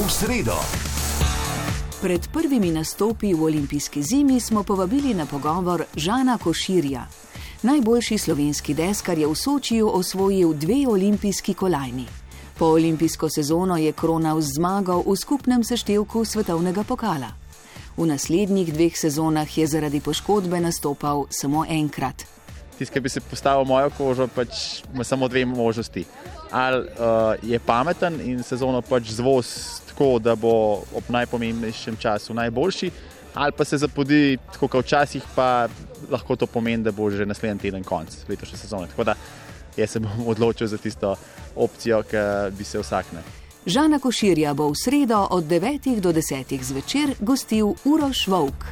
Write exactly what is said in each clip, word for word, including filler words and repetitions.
v sredo. Pred prvimi nastopi v olimpijski zimi smo povabili na pogovor Žana Koširja. Najboljši slovenski deskar je v Sočiju osvojil dve olimpijski kolajni. Po olimpijsko sezono je kronal z zmago v skupnem seštevku svetovnega pokala. V naslednjih dveh sezonah je zaradi poškodbe nastopal samo enkrat. Tisti, ki bi se postavil mojo kožo, pač ima samo dve možnosti. Ali uh, je pameten in sezono pač zvoz tako, da bo ob najpomembnejšem času najboljši, ali pa se zapodi tako, kot včasih, pa lahko to pomeni, da bo že naslednji teden konc letošnje sezone. Tako da jaz se bom odločil za tisto opcijo, ki bi se vsakne. Žana Koširja bo v sredo od devetih do desetih zvečer gostil Uroš Volk.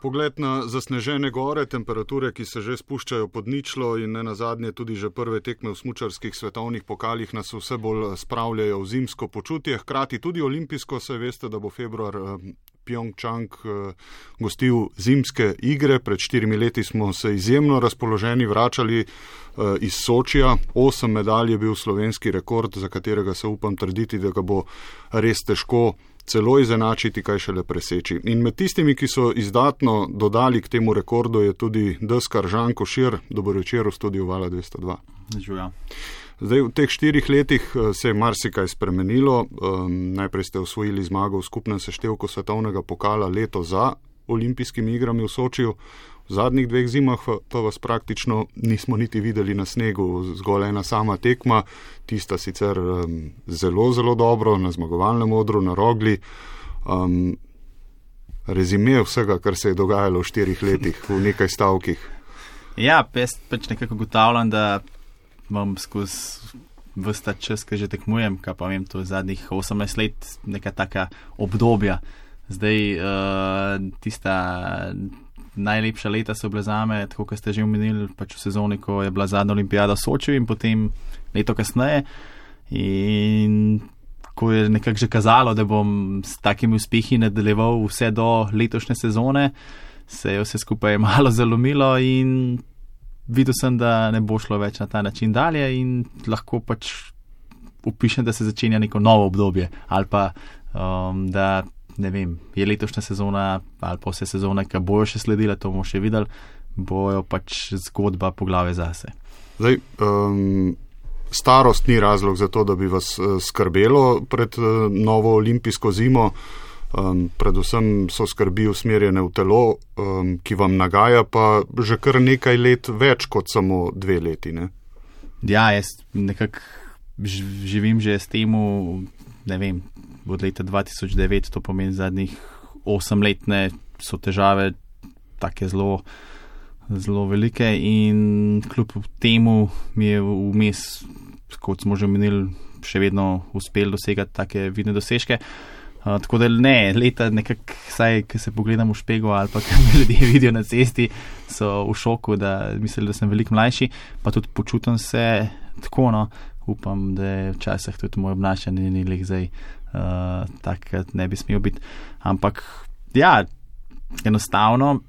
Pogled na zasnežene gore, temperature, ki se že spuščajo pod ničlo in ne nazadnje tudi že prve tekme v smučarskih svetovnih pokalih nas vse bolj spravljajo v zimsko počutje. Hkrati tudi olimpijsko, saj veste, da bo februar Pjongčang gostil zimske igre. Pred štirimi leti smo se izjemno razpoloženi vračali iz Sočija. Osem medalj je bil slovenski rekord, za katerega se upam trditi, da ga bo res težko celo izenačiti, kaj šele preseči. In med tistimi, ki so izdatno dodali k temu rekordu, je tudi deskar Žan Košir. Dober večer v studiu Vala dvesto dva. Žuja. Zdaj, v teh štirih letih se je marsikaj spremenilo. Um, najprej ste osvojili zmago v skupnem seštevku svetovnega pokala leto za olimpijskimi igrami v Sočiju. V zadnjih dveh zimah pa vas praktično nismo niti videli na snegu, zgolj ena sama tekma, tista sicer um, zelo, zelo dobro, na zmagovalnem odru, na Rogli. Um, rezime vsega, kar se je dogajalo v štirih letih, v nekaj stavkih. Ja, jaz pač nekako ugotavljam, da imam skozi vsta čas, ki že tekmujem, kaj pa vem, to je zadnjih osemnajst let, neka taka obdobja. Zdaj, uh, tista najlepša leta so bile zame, tako kot ste že omenili, pač v sezoni, ko je bila zadnja olimpijada v Sočiju in potem leto kasneje. In ko je nekako že kazalo, da bom s takimi uspehi nadaljeval vse do letošnje sezone, se je vse skupaj malo zalomilo in videl sem, da ne bo šlo več na ta način dalje in lahko pač upišem, da se začenja neko novo obdobje ali pa um, da ne vem, je letošnja sezona ali pa vse sezone, ki bojo še sledile, to bomo še videli, bojo pač zgodba poglave zase. Zdaj, um, starost ni razlog za to, da bi vas skrbelo pred uh, novo olimpijsko zimo. Um, predvsem so skrbi usmerjene v telo, um, ki vam nagaja pa že kar nekaj let več kot samo dve leti, ne? Ja, jaz nekako živim že s temu, ne vem, od leta dva tisoč devet, to pomeni zadnjih osem let, ne, so težave take zelo, zelo velike in kljub temu mi je vmes, kot smo že menili, še vedno uspel dosegati take vidne dosežke. Uh, tako da ne, leta nekako, saj, ko se pogledam v špego ali pa, ko me ljudje vidijo na cesti, so v šoku, da mislijo, da sem veliko mlajši, pa tudi počutim se tako, no, upam, da je včasih tudi moj obnašanje ni leh zdaj uh, takrat ne bi smel biti. Ampak, ja, enostavno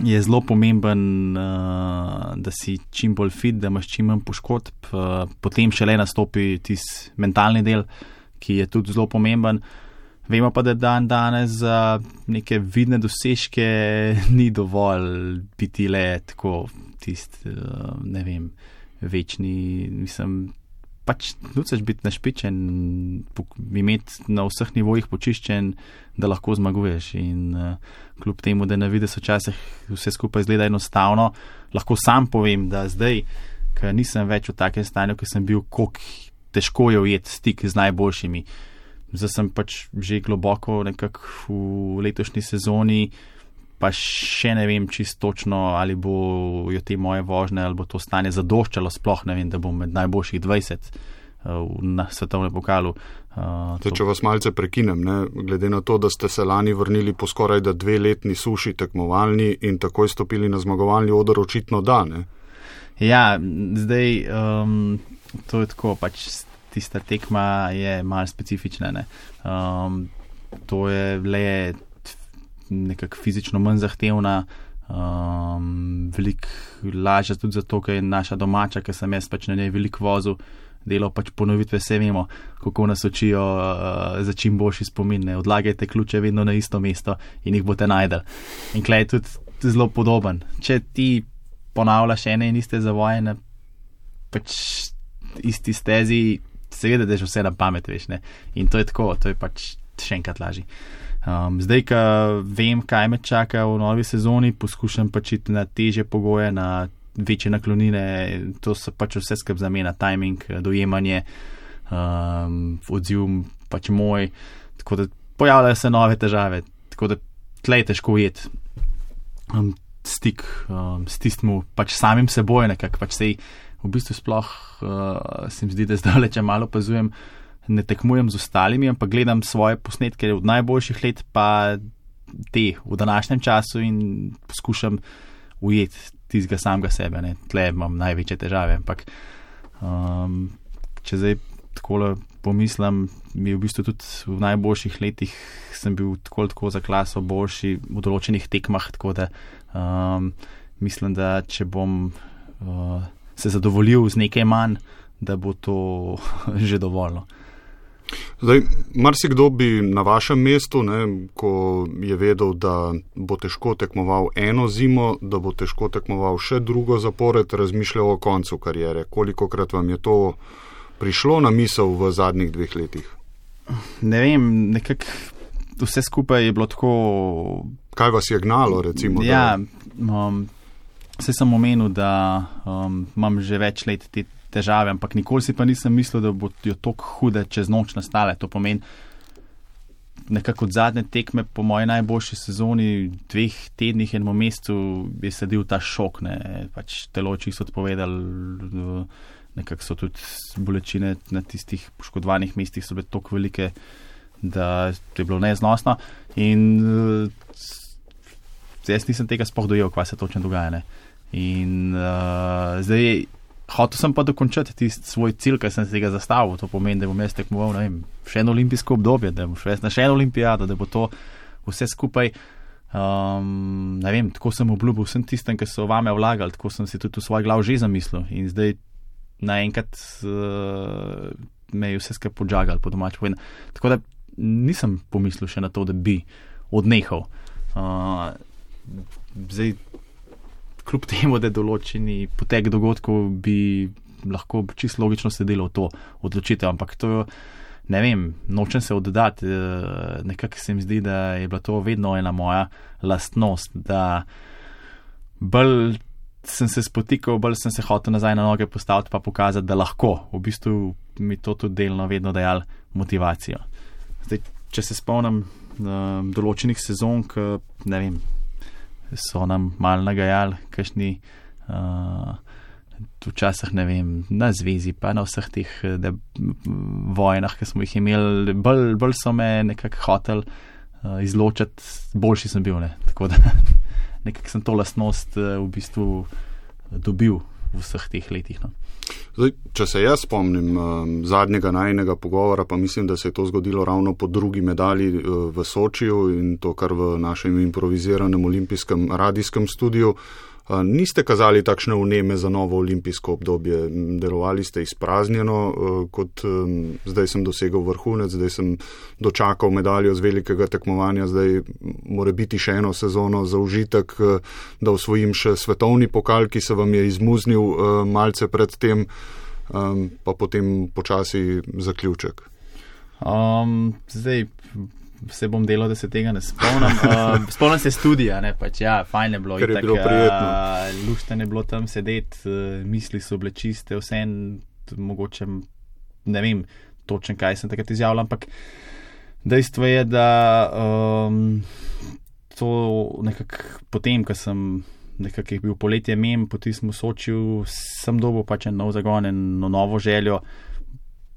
je zelo pomemben, uh, da si čim bolj fit, da imaš čim manj poškodb, uh, potem šele nastopi tisti mentalni del, ki je tudi zelo pomemben. Vemo pa, da dan danes za neke vidne dosežke ni dovolj biti le tako tist, ne vem, večni, mislim, pač nucaš biti našpičen, imeti na vseh nivojih počiščen, da lahko zmaguješ in uh, kljub temu, da na videz včasih vse skupaj izgleda enostavno, lahko sam povem, da zdaj, ker nisem več v takem stanju, ker sem bil, koliko težko je ujeti stik z najboljšimi. Zdaj sem pač že globoko nekako v letošnji sezoni, pa še ne vem čisto točno, ali bo jo te moje vožnje, ali bo to stanje zadoščalo, sploh ne vem, da bom med najboljših dvajset uh, na svetovnem pokalu. Uh, Zdaj, če vas malce prekinem, ne, glede na to, da ste se lani vrnili po skoraj da dve letni suši tekmovalni in takoj stopili na zmagovalni oder, očitno da, ne? Ja, zdaj, um, to je tako, pač tista tekma je malo specifična, ne. Um, to je le nekako fizično manj zahtevna, um, veliko lažja tudi zato, ker je naša domača, ker sem jaz pač na njej veliko vozil delal pač ponovitve, vse vemo, kako nas učijo uh, za čim boljši spomin, ne, odlagajte ključe vedno na isto mesto in jih boste najdel. In klej je tudi zelo podoben. Če ti ponavljaš ene in iste zavoje na pač isti stezi, seveda, da je že vse na pamet, veš, ne. In to je tako, to je pač še enkrat lažje. Um, zdaj, ko vem, kaj me čaka v novi sezoni, poskušam pač iti na težje pogoje, na večje naklonine, to so pač vse skrb za me, na timing, dojemanje, um, odziv pač moj, tako da pojavljajo se nove težave, tako da tle je težko ujeti um, stik um, s tistim pač samim seboj, nekako pač sej v bistvu sploh uh, se mi zdi, da zdaj, če malo opazujem, ne tekmujem z ostalimi, ampak gledam svoje posnetke od najboljših let, pa te v današnjem času in poskušam ujeti tistega samega sebe, ne. Tle imam največje težave, ampak um, če zdaj takole pomislim, mi v bistvu tudi v najboljših letih sem bil tako tako za klaso boljši v določenih tekmah, tako da um, mislim, da če bom uh, se zadovoljil z nekaj manj, da bo to že dovoljno. Zdaj, marsikdo bi na vašem mestu, ne, ko je vedel, da bo težko tekmoval eno zimo, da bo težko tekmoval še drugo zapored, razmišljal o koncu kariere. Kolikokrat vam je to prišlo na misel v zadnjih dveh letih? Ne vem, nekako vse skupaj je bilo tako... Kaj vas je gnalo, recimo? Ja, da... um, vse sem omenil, da um, imam že več let te težave, ampak nikoli si pa nisem mislil, da bodo tako hude čez noč nastale. To pomeni, nekako od zadnje tekme po moji najboljši sezoni, dveh tednih enem mesecu je sledil ta šok, ne, pač telo čisto odpovedali, nekako so tudi bolečine na tistih poškodovanih mestih so bile toliko velike, da je bilo neznosno in jaz nisem tega sploh dojel, kva se točno dogaja, ne. In uh, zdaj hotel sem pa dokončati tisti svoj cilj, kaj sem se tega zastavil. To pomeni, da bom jaz tekmoval, ne vem, še eno olimpijsko obdobje, da bom šel na še eno olimpijado, da bo to vse skupaj, um, ne vem, tako sem obljubil vsem tistem, ki so vame vlagali, tako sem si tudi v svoj glav že zamislil. In zdaj naenkrat uh, me je vse skupaj podžagal, po domač povedano. Tako da nisem pomislil še na to, da bi odnehal. Uh, zdaj, kljub temu, da določeni potek dogodkov bi lahko čisto logično sedelo v to odločitev, ampak to, ne vem, nočem se oddati, nekako se mi zdi, da je bila to vedno ena moja lastnost, da bolj sem se spotikal, bolj sem se hotel nazaj na noge postaviti pa pokazati, da lahko, v bistvu mi to tudi delno vedno dajal motivacijo. Zdaj, če se spomnim um, določenih sezon, k, ne vem, so nam malo nagajali, kakšni uh, včasih, ne vem, na zvezi, pa na vseh teh de, vojnah, ki smo jih imeli, bolj, bolj so me nekako hotel uh, izločati, boljši sem bil, ne, tako da nekako sem to lastnost uh, v bistvu dobil v vseh teh letih, no. Zdaj, če se jaz spomnim um, zadnjega najinega pogovora, pa mislim, da se je to zgodilo ravno po drugi medalji uh, v Sočiju in to kar v našem improviziranem olimpijskem radijskem studiu. Uh, niste kazali takšne vneme za novo olimpijsko obdobje, delovali ste izpraznjeno, uh, kot um, zdaj sem dosegel vrhunec, zdaj sem dočakal medaljo z velikega tekmovanja, zdaj mora biti še eno sezono za užitek, uh, da osvojim še svetovni pokal, ki se vam je izmuznil uh, malce pred tem, um, pa potem počasi zaključek. Um, zdaj se bom delal, da se tega ne spomnim. Uh, spomnim se studija, ne, pač ja, fajn je bilo. Ker je bilo prijetno. Uh, lušten je bilo tam sedeti, uh, misli so bile čiste, vse en, mogoče, ne vem točno, kaj sem takrat izjavljal, ampak dejstvo je, da um, to nekako potem, ko sem nekako je bil poletje mem, potem smo v Sočiju, sem dobil pač en nov zagon, eno novo željo.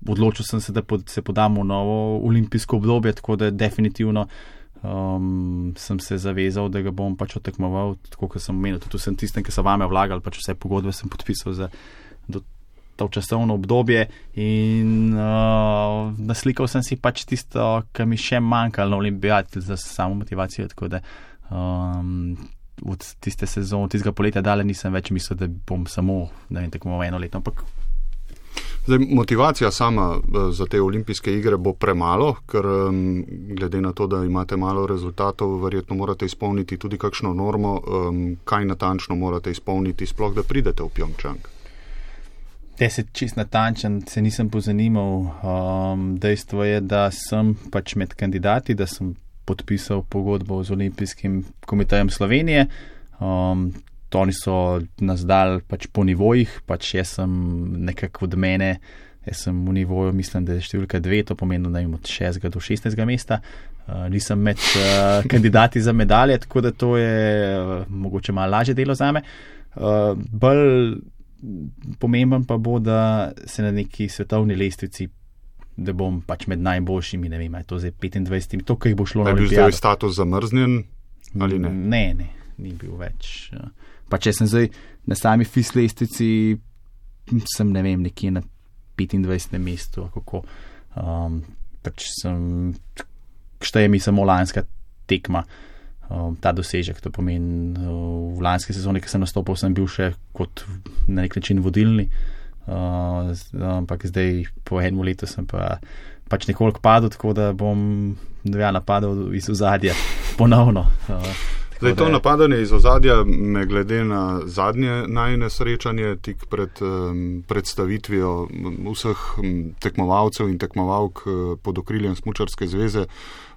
Odločil sem se, da se podam v novo olimpijsko obdobje, tako da definitivno um, sem se zavezal, da ga bom pač otekmoval, tako kot sem omenil, tudi vsem tistem, ki so vame vlagali, pač vse pogodbe sem podpisal za do to časovno obdobje in uh, naslikal sem si pač tisto, kar mi še manjkalo na olimpijadi za samo motivacijo, tako da um, od tiste sezone, od tistega poletja dalje nisem več mislil, da bom samo, ne vem, tekmoval eno leto, ampak Zdaj, motivacija sama za te olimpijske igre bo premalo, ker um, glede na to, da imate malo rezultatov, verjetno morate izpolniti tudi kakšno normo, um, kaj natančno morate izpolniti, sploh da pridete v Pjongčang. Te se čist natančen, se nisem pozanimal. Um, dejstvo je, da sem pač med kandidati, da sem podpisal pogodbo z Olimpijskim komitejem Slovenije. Um, To oni so nas dali pač po nivojih, pač jaz sem nekako od mene, jaz sem v nivoju, mislim, da je številka dve, to pomeni, da imam od šestega do šestnajstega mesta. Uh, nisem med uh, kandidati za medalje, tako da to je uh, mogoče malo lažje delo zame. Uh, bolj pomemben pa bo, da se na neki svetovni lestvici, da bom pač med najboljšimi, ne vem, je to zdaj petindvajset, to, kaj bo šlo na olimpijado. Je bil zdaj status zamrznjen ali ne? Ne, ne, ni bil več. Uh, Pa če sem zdaj na sami F I S lestvici, sem ne vem, nekje na petindvajsetem mestu, kako um, pač sem, šteje mi samo lanska tekma, um, ta dosežek, to pomeni uh, v lanski sezoni, ki sem nastopil, sem bil še kot na nek način vodilni, uh, ampak zdaj po enem letu sem pa pač nekoliko padel, tako da bom ja, napadal iz ozadja ponovno. Uh, Zdaj, to napadanje iz ozadja me glede na zadnje najine srečanje tik pred um, predstavitvijo vseh um, tekmovalcev in tekmovalk uh, pod okriljem Smučarske zveze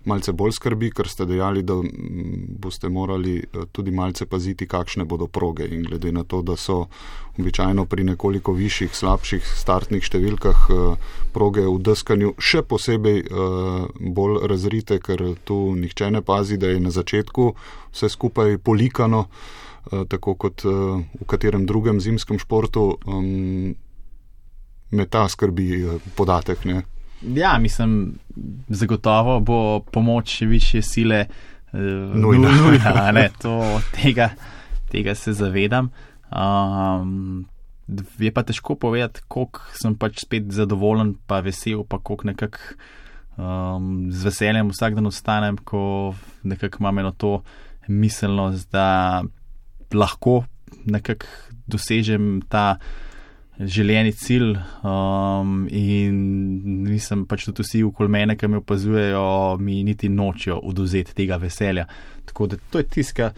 malce bolj skrbi, ker ste dejali, da um, boste morali uh, tudi malce paziti, kakšne bodo proge in glede na to, da so običajno pri nekoliko višjih, slabših startnih številkah uh, proge v deskanju še posebej uh, bolj razrite, ker tu nihče ne pazi, da je na začetku vse skupaj polikano, uh, tako kot uh, v katerem drugem zimskem športu. Um, me ta skrbi uh, podatek, ne? Ja, mislim, zagotovo bo pomoč više sile uh, nujna. nujna ne, to, tega, tega se zavedam. Um, je pa težko povedati, koliko sem pač spet zadovoljen, pa vesel, pa koliko nekako um, z veseljem vsak dan ostanem, ko nekako imam eno to miselnost, da lahko nekako dosežem ta željeni cilj um, in nisem pač tudi vsi okoli mene, ki me opazujejo, mi niti nočijo oduzeti tega veselja. Tako da to je tiska,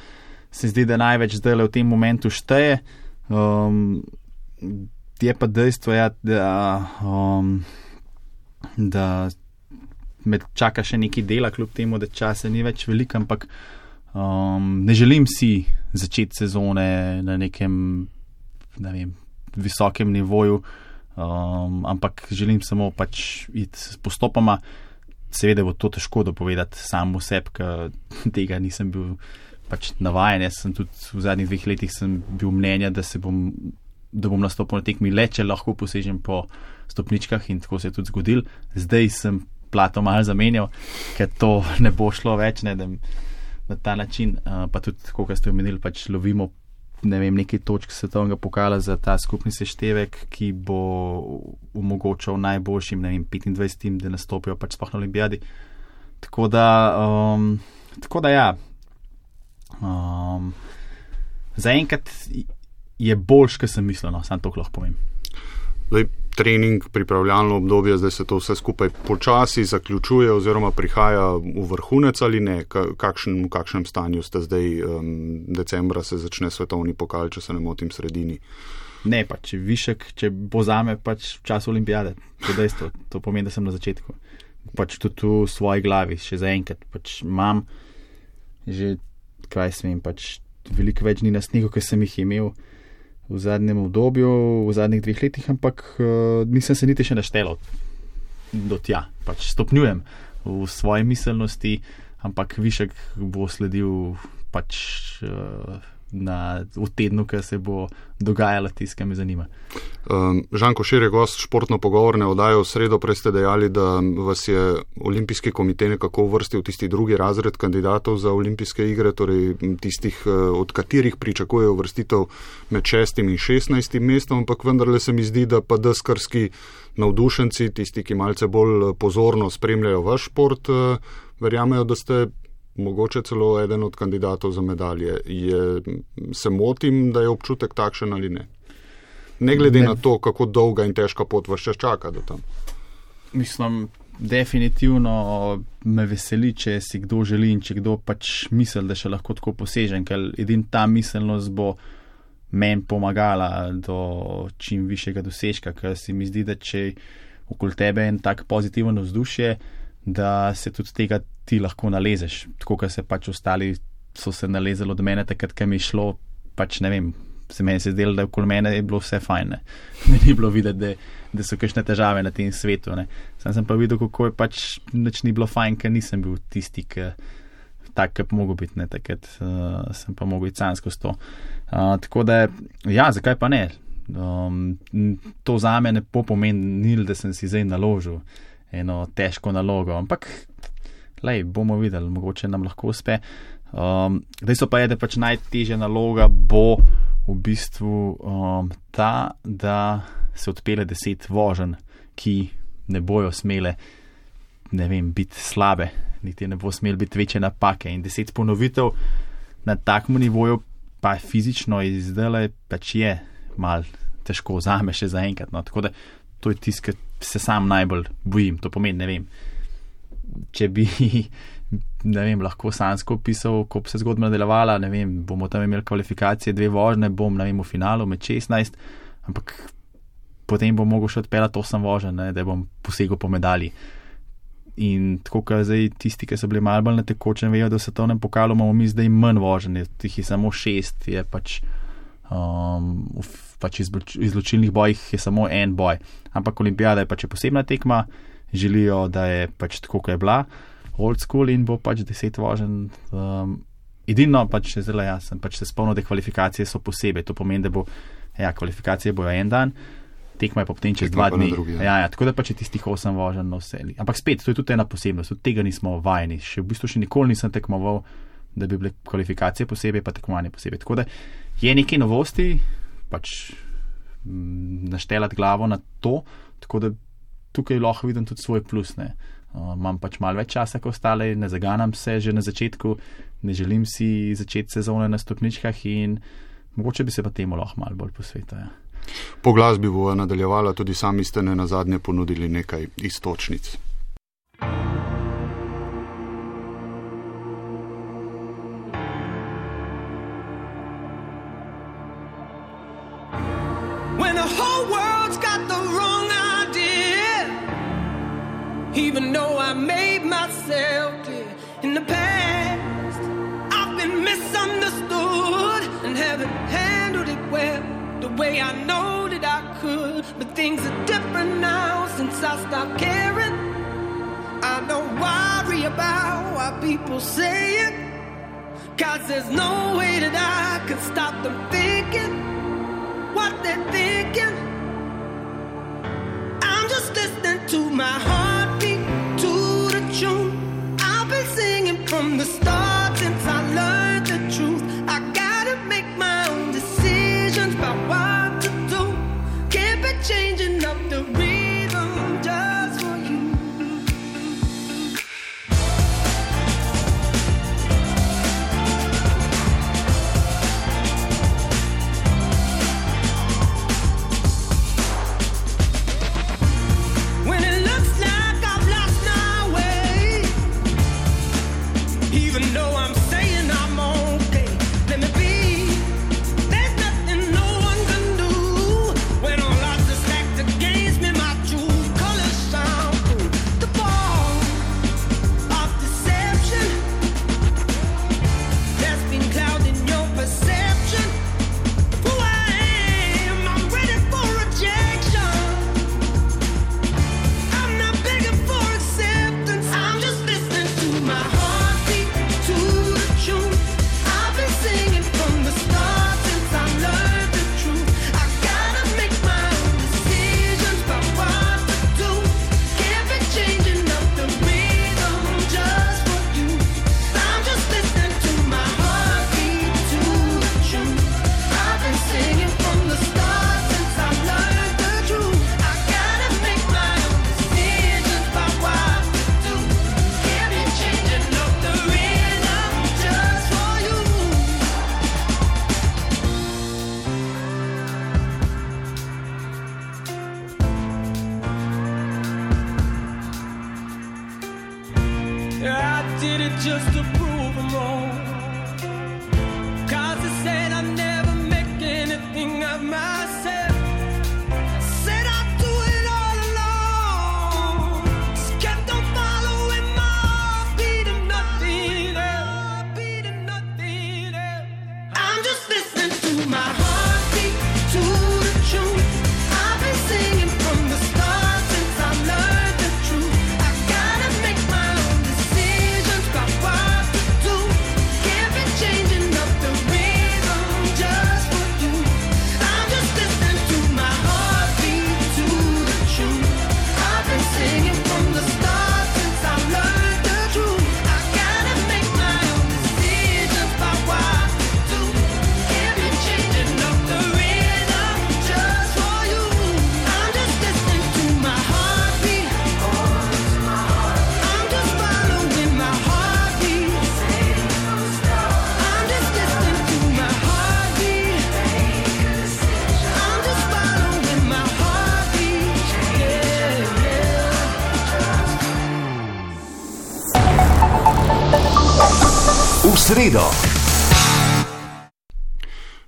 se zdi, da največ zdaj v tem momentu šteje. Um, je pa dejstvo, ja, da, um, da me čaka še nekaj dela, kljub temu, da časa ni več veliko, ampak um, ne želim si začeti sezone na nekem, ne vem, visokem nivoju, um, ampak želim samo pač iti postopoma. Seveda bo to težko dopovedati sam v sebi, ker tega nisem bil pač navajen. Jaz sem tudi v zadnjih dveh letih sem bil mnenja, da se bom, da bom nastopil na tekmi le, če lahko posežem po stopničkah in tako se je tudi zgodil. Zdaj sem plato malo zamenjal, ker to ne bo šlo več, ne, da na ta način, uh, pa tudi, kako ste omenili, pač lovimo ne vem, nekaj točk svetovnega pokala za ta skupni seštevek, ki bo omogočal najboljšim, ne vem, petindvajsetim, da nastopijo pač sploh na olimpijadi. Tako da, um, tako da ja, um, zaenkrat je boljš, kot sem mislil, no, sam to lahko povem. Zdaj, trening, pripravljalno obdobje, zdaj se to vse skupaj počasi zaključuje oziroma prihaja v vrhunec ali ne? Kakšen, v kakšnem stanju ste zdaj? Um, decembra se začne svetovni pokal, če se ne motim, sredini. Ne, pač višek, če bo zame pač čas olimpijade. To dejstvo, to pomeni, da sem na začetku. Pač tudi v svoji glavi, še zaenkrat. Pač imam že, kaj smem, pač veliko več dni na snegu, ki sem jih imel v zadnjem obdobju, v zadnjih dveh letih, ampak uh, nisem se niti še naštelal do tja. Pač stopnjujem v svoji miselnosti, ampak višek bo sledil pač uh, na, v tednu, ker se bo dogajalo tisto, kar me zanima. Um, Žan Košir je gost športno pogovorne oddaje v sredo, prej ste dejali, da vas je Olimpijski komitej nekako uvrstil tisti drugi razred kandidatov za olimpijske igre, torej tistih, od katerih pričakujejo uvrstitev med šestim in šestnajstim mestom, ampak vendarle se mi zdi, da pa deskarski navdušenci, tisti, ki malce bolj pozorno spremljajo vaš šport, verjamejo, da ste mogoče celo eden od kandidatov za medalje. Je, se motim, da je občutek takšen ali ne? Ne glede ne, na to, kako dolga in težka pot vas še čaka do tam. Mislim, definitivno me veseli, če si kdo želi in če kdo pač misli, da še lahko tako posežen, ker edin ta miselnost bo meni pomagala do čim višjega dosežka, ker se mi zdi, da če okoli tebe je en tak pozitiven vzdušje, da se tudi tega ti lahko nalezeš. Tako, ker se pač ostali so se nalezali od mene, takrat, ker mi je šlo, pač ne vem, se meni se zdelo, da okoli mene je bilo vse fajn. Ne, ne ni bilo videti, da, da so kakšne težave na tem svetu. Ne. Sam sem pa videl, kako je pač nič ni bilo fajn, ker nisem bil tisti, ki tak, ki bi mogel biti. Ne. Takrat uh, sem pa mogel iti sam skozi to. Uh, tako da, ja, zakaj pa ne? Um, to za me ne pomeni, da sem si zdaj naložil eno težko nalogo, ampak lej, bomo videli, mogoče nam lahko uspe. Um, dejstvo pa je, da pač najtežja naloga bo v bistvu um, ta, da se odpele deset voženj, ki ne bojo smele, ne vem, biti slabe, niti ne bo smel biti večje napake, in deset ponovitev na takem nivoju pa fizično izdele pač je mal težko zame še zaenkrat. No. Tako da to je tisto, ki se sam najbolj bojim. To pomeni, ne vem, če bi ne vem, lahko sansko opisal, ko bi se zgodba nadaljevala, ne vem, bomo tam imeli kvalifikacije, dve vožnje, bom, ne vem, v finalu med šestnajst, ampak potem bom mogel še odpeljati osem voženj, da bom posegel po medalji. In tako, ker zdaj tisti, ki so bili malo bolj na tekočem, vejo, da v svetovnem pokalu imamo mi zdaj manj voženj, tih je samo šest, je pač, um, pač izločilnih bojih je samo en boj. Ampak olimpijada je pač posebna tekma, želijo, da je pač tako, kot je bila, old school, in bo pač deset voženj. Um, edino pač zelo jasno, pač se spomnim, da kvalifikacije so posebej, to pomeni, da bo, ja, kvalifikacije bojo en dan, tekma je pa potem čez dva dni. Drugi, ja. Ja, ja, tako da pač je tistih osem voženj na vse. Ampak spet, to je tudi ena posebnost, od tega nismo vajeni. Še v bistvu še nikoli nisem tekmoval, da bi bile kvalifikacije posebej, pa tekmovanje posebej. Tako da je nekaj novosti, pač m, naštelati glavo na to, tako da tukaj lahko vidim tudi svoj plus. Ne. Uh, imam pač malo več časa, kot ostale, ne zaganam se že na začetku, ne želim si začeti sezone na stopničkah in mogoče bi se pa temu lahko malo bolj posvetil. Ja. Po glasbi bo nadaljevala, tudi sami ste ne nazadnje ponudili nekaj iztočnic. When the whole world's got the wrong idea, even though I made myself clear in the past, I've been misunderstood and haven't handled it well, the way I know that I could. But things are different now since I stopped caring. I don't worry about what people say it, 'cause there's no way that I can stop them thinking what they're thinking. I'm just listening to my heartbeat, to the tune I've been singing from the start since I learned the truth. I gotta make my own decisions about what to do. Can't be changing up the rhythm just for you. did it just to prove them wrong. Cause I said I'd never make anything of myself. Said I'd do it all alone. Just kept on following my heartbeat and nothing else. Beat and nothing else. I'm just listening to my heartbeat, to the truth. I've been singing from the start since I learned the truth. I gotta make my own decisions about what to do. Can't be changing up the rhythm just for you. I'm just listening to my heartbeat, to the truth. I've been singing from the start since I learned the truth. I gotta make my own decisions about what to do. Can't be changing up the rhythm just for you. I'm just listening to my heartbeat. I'm just following my heartbeat. I'm just listening to my heartbeat. I'm just following my heartbeat. Yeah, yeah. V sredo.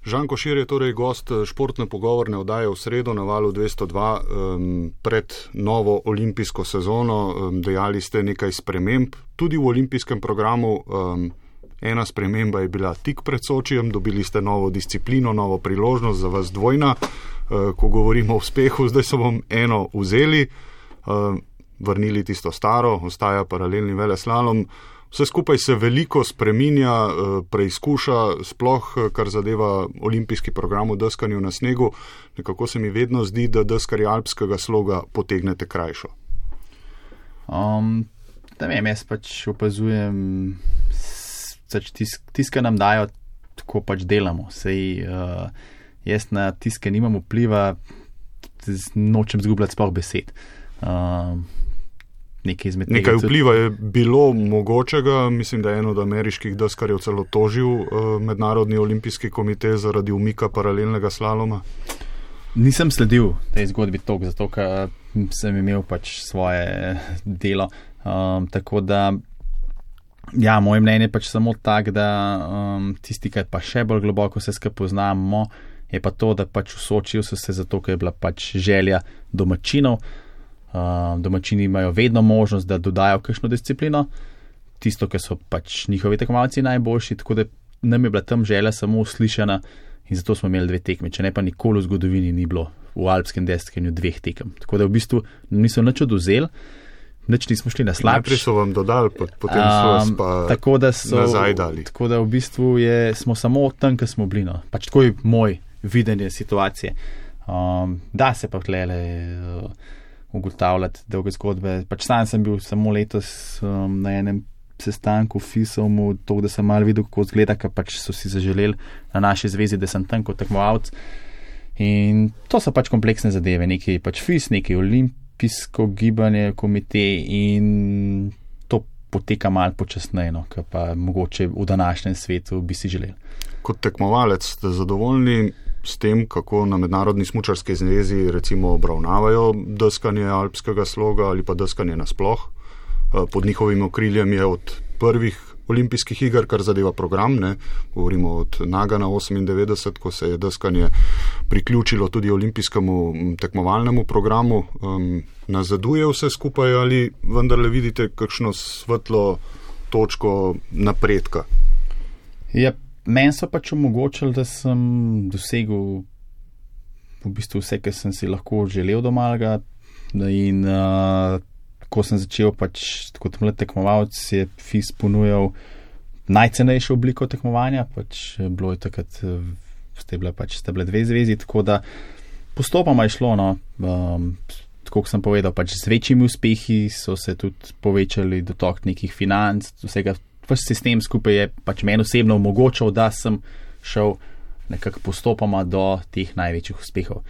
Žan Košir je torej gost športne pogovorne oddaje v sredo na valu dvesto dva um, pred novo olimpijsko sezono. Um, dejali ste nekaj sprememb tudi v olimpijskem programu. Um, ena sprememba je bila tik pred Sočijem, dobili ste novo disciplino, novo priložnost za vas dvojna. Uh, ko govorimo o uspehu, zdaj so vam eno vzeli, uh, vrnili tisto staro, ostaja paralelni veleslalom. Vse skupaj se veliko spreminja, preizkuša, sploh kar zadeva olimpijski program v deskanju na snegu. Nekako se mi vedno zdi, da deskarji alpskega sloga potegnete krajšo. Um, da vem, jaz pač opazujem, tiska nam dajo, tako pač delamo. Sej, uh, jaz na tiske nimam vpliva, nočem zgubljati sploh besed. Uh, Nekaj, Nekaj vpliva je bilo mogočega, mislim, da je eno od ameriških deskarjev celo tožil uh, Mednarodni olimpijski komite zaradi umika paralelnega slaloma. Nisem sledil tej zgodbi toliko, zato ker sem imel pač svoje delo. Um, tako da, ja, moje mnenje je pač samo tak, da um, tisti, ki pa še bolj globoko se skupaj poznamo, je pa to, da pač v Sočiju so se zato, ker je bila pač želja domačinov. Uh, domačini imajo vedno možnost, da dodajo kakšno disciplino, tisto, ker so pač njihovi tekmovalci najboljši, tako da nam je bila tam želja samo uslišana in zato smo imeli dve tekme, če ne pa nikoli v zgodovini ni bilo v alpskem deskanju dveh tekem. Tako da v bistvu niso nič odvzeli, nič nismo šli na slabši. Najprej so vam dodali, potem so vas pa um, so, nazaj dali. Tako da v bistvu je, smo samo tam, kjer smo bili. No. Pač tako je moj videnje situacije. Um, da se pa tlele uh, ugotavljati dolge zgodbe. Pač sam sem bil samo letos um, na enem sestanku v FISOM-u, to, da sem malo videl, kako zgleda, ker pač so si zaželeli na naši zvezi, da sem tam kot tekmovalc. In to so pač kompleksne zadeve. Nekaj pač FIS, nekaj olimpijsko gibanje, komite in to poteka malo počasneje, no, ker pa mogoče v današnjem svetu bi si želeli. Kot tekmovalec ste zadovoljni s tem, kako na Mednarodni smučarski zvezi recimo obravnavajo deskanje alpskega sloga ali pa deskanje nasploh. Pod njihovim okriljem je od prvih olimpijskih iger, kar zadeva program, ne? Govorimo od Nagana osemindevetdeset, ko se je deskanje priključilo tudi olimpijskemu tekmovalnemu programu. Um, nazaduje vse skupaj ali vendarle vidite kakšno svetlo točko napredka? Ja, meni so pač omogočili, da sem dosegel v bistvu vse, kar sem si lahko želel do malega. In uh, ko sem začel pač kot mlad tekmovalec, je FIS ponujal najcenejšo obliko tekmovanja, pač bilo je takrat, ste bile pač ste bile dve zvezi, tako da postopoma je šlo, no, um, tako kot sem povedal, pač z večjimi uspehi so se tudi povečali dotok nekih financ, vsega. Pač sistem skupaj je pač meni osebno omogočal, da sem šel nekako postopoma do teh največjih uspehov.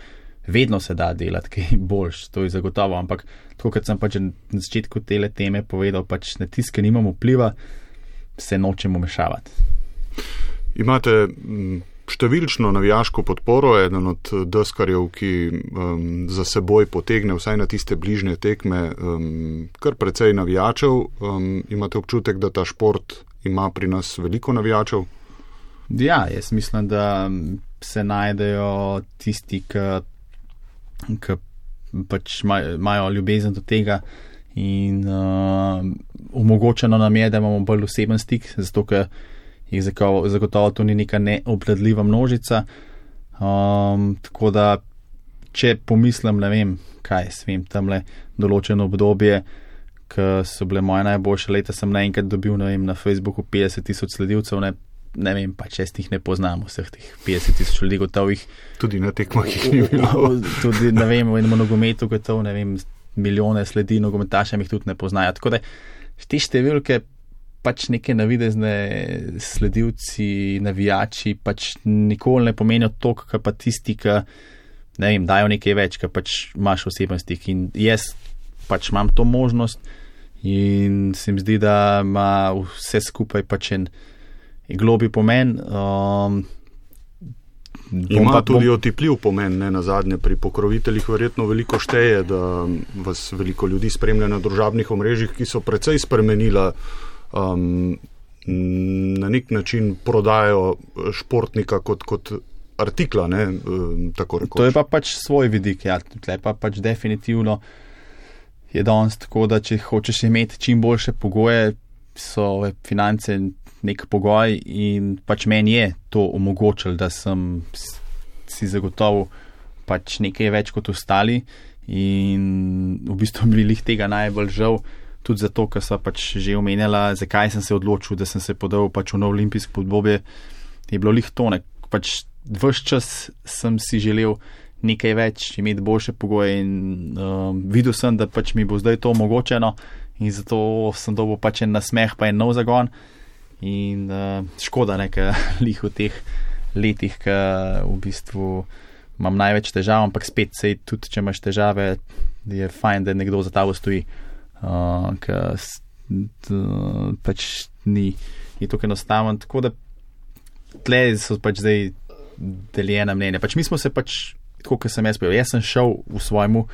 Vedno se da delati kaj boljš, to je zagotovo, ampak tako kot sem pač na začetku tele teme povedal, pač na tiske nimam vpliva, se nočemo mešavati. Imate m, številčno navijaško podporo, eden od deskarjev, ki um, za seboj potegne vsaj na tiste bližnje tekme um, kar precej navijačev. Um, imate občutek, da ta šport ima pri nas veliko navijačev? Ja, jaz mislim, da se najdejo tisti, ki pač imajo ljubezen do tega in uh, omogočeno nam je, da imamo bolj oseben stik, zato ker jih zagotovo to ni neka neobvladljiva množica. Um, tako da, če pomislim, ne vem, kaj svem, tamle določeno obdobje, ki so bile moje najboljše leta, sem naenkrat dobil, ne vem, na Facebooku petdeset tisoč sledilcev, ne, ne vem, pa če jih ne poznam, vseh teh petdeset tisoč ljudi gotovih. Tudi na tekmah jih ni bilo. Tudi, ne vem, v enem nogometu gotov, ne vem, milijone sledi, nogometašem jih tudi ne poznajo. Tako da, te številke pač neke navidezne sledilci, navijači, pač nikoli ne pomenijo toliko, kot pa tisti, ki, ne vem, dajo nekaj več, ki pač imaš oseben stik. In jaz pač imam to možnost in se mi zdi, da ima vse skupaj pač en globi pomen. Um, Ima pa, tudi bom... otipljiv pomen, ne na zadnje, pri pokroviteljih verjetno veliko šteje, da vas veliko ljudi spremlja na družabnih omrežjih, ki so precej spremenila um, na nek način prodajo športnika kot, kot artikla, ne, tako rekoč. To je pa pač svoj vidik, ja, tle pa pač definitivno je danes tako, da če hočeš imeti čim boljše pogoje, so finance nek pogoj in pač meni je to omogočilo, da sem si zagotovil pač nekaj več kot ostali in v bistvu mi lih tega najbolj žal, tudi zato, ker sva pač že omenjala, zakaj sem se odločil, da sem se podal pač v novo olimpijsko obdobje, je bilo lih to, ne, pač ves čas sem si želel nekaj več, imeti boljše pogoje in um, videl sem, da pač mi bo zdaj to omogočeno in zato sem dobil pač en nasmeh pa en nov zagon. In uh, škoda, nekaj lih v teh letih, ki v bistvu imam največ težav, ampak spet sej tudi, če imaš težave, je fajn, da nekdo za tabo stoji, uh, ker pač ni, ni tako enostaven. Tako da tle so pač zdaj deljena mnenja. Pač mi smo se pač, tako kot sem jaz povedal, jaz sem šel v svojemu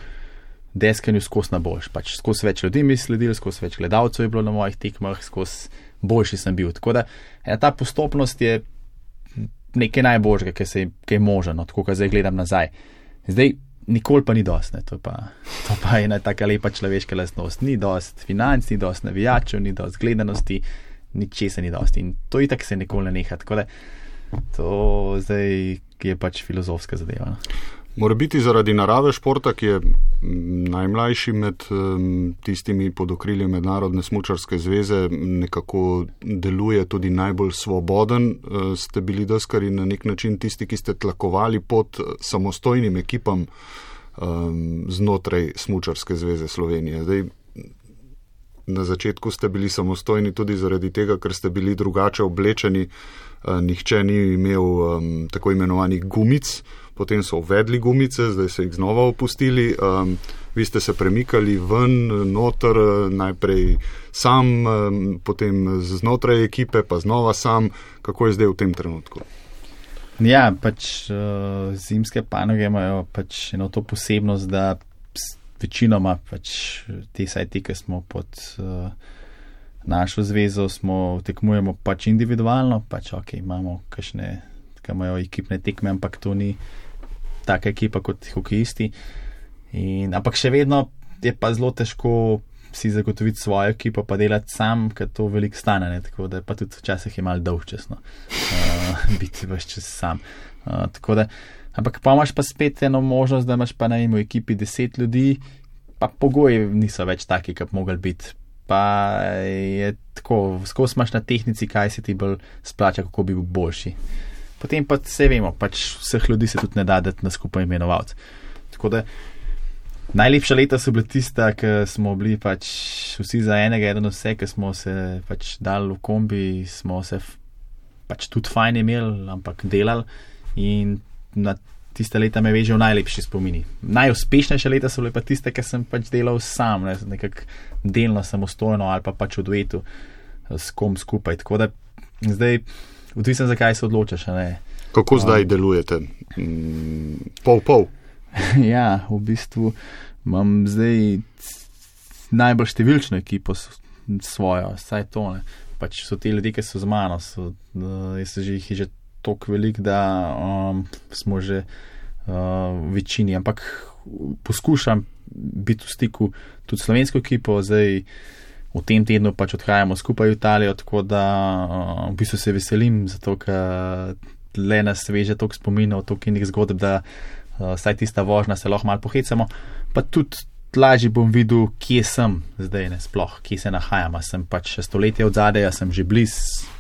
deskanju skozi na boljš. Pač skozi več ljudi mi sledili, skozi več gledalcev je bilo na mojih tekmah, skozi boljši sem bil. Tako da ja, ta postopnost je nekaj najboljšega, ki se je možno, tako kot zdaj gledam nazaj. Zdaj nikoli pa ni dost, ne, to pa, to pa je ena taka lepa človeška lastnost. Ni dost financ, ni dost navijačev, ni dost gledanosti, ničesa ni dost. In to itak se nikoli ne neha. Tako da to zdaj je pač filozofska zadeva. No. Mora biti zaradi narave športa, ki je najmlajši med um, tistimi pod okriljem Mednarodne smučarske zveze, nekako deluje tudi najbolj svoboden. Uh, ste bili deskarji na nek način tisti, ki ste tlakovali pod samostojnim ekipam um, znotraj Smučarske zveze Slovenije. Zdaj, na začetku ste bili samostojni tudi zaradi tega, ker ste bili drugače oblečeni. Uh, nihče ni imel um, tako imenovanih gumic. Potem so uvedli gumice, zdaj so jih znova opustili. Um, vi ste se premikali ven, noter, najprej sam, um, potem znotraj ekipe, pa znova sam. Kako je zdaj v tem trenutku? Ja, pač uh, zimske panoge imajo pač eno to posebnost, da večinoma pač te sajti, ki smo pod uh, našo zvezo, smo tekmujemo pač individualno, pač ok, imamo kakšne, ki imajo ekipne tekme, ampak to ni taka ekipa kot hokejisti. In, ampak še vedno je pa zelo težko si zagotoviti svojo ekipo, pa delati sam, ker to veliko stane, ne? Tako da pa tudi včasih je malo dolgčasno uh, biti vse čas sam. Uh, tako da, ampak pa imaš pa spet eno možnost, da imaš pa na v ekipi deset ljudi, pa pogoji niso več taki, kot bi mogli biti. Pa je tako, skozi imaš na tehnici, kaj se ti bolj splača, kako bi bil boljši. Potem pa se vemo, pač vseh ljudi se tudi ne da dati na skupaj imenovalc. Tako da najlepša leta so bile tista, ki smo bili pač vsi za enega, eden vse, ki smo se pač dali v kombi, smo se pač tudi fajn imeli, ampak delali in na tiste leta me vežejo najlepši spomini. Najuspešnejše leta so bile pa tiste, ki sem pač delal sam, ne, nekako delno samostojno ali pa pač v duetu s kom skupaj. Tako da zdaj odvisen, zakaj se odločaš, ne? Kako zdaj um, delujete? Pol, pol? Ja, v bistvu imam zdaj najbolj številčno ekipo svojo, saj to ne. Pač so ti ljudje, ki so z mano, so, uh, jaz že jih je že toliko velik, da um, smo že uh, v večini, ampak poskušam biti v stiku tudi slovensko ekipo, zdaj v tem tednu pač odhajamo skupaj v Italijo, tako da uh, v bistvu se veselim, zato ker le nas veže toliko spominov, toliko inih zgodb, da uh, saj tista vožnja se lahko malo pohecamo, pa tudi lažje bom videl, kje sem zdaj, ne sploh, kje se nahajam, sem pač stoletje od zadaj, sem že bliz,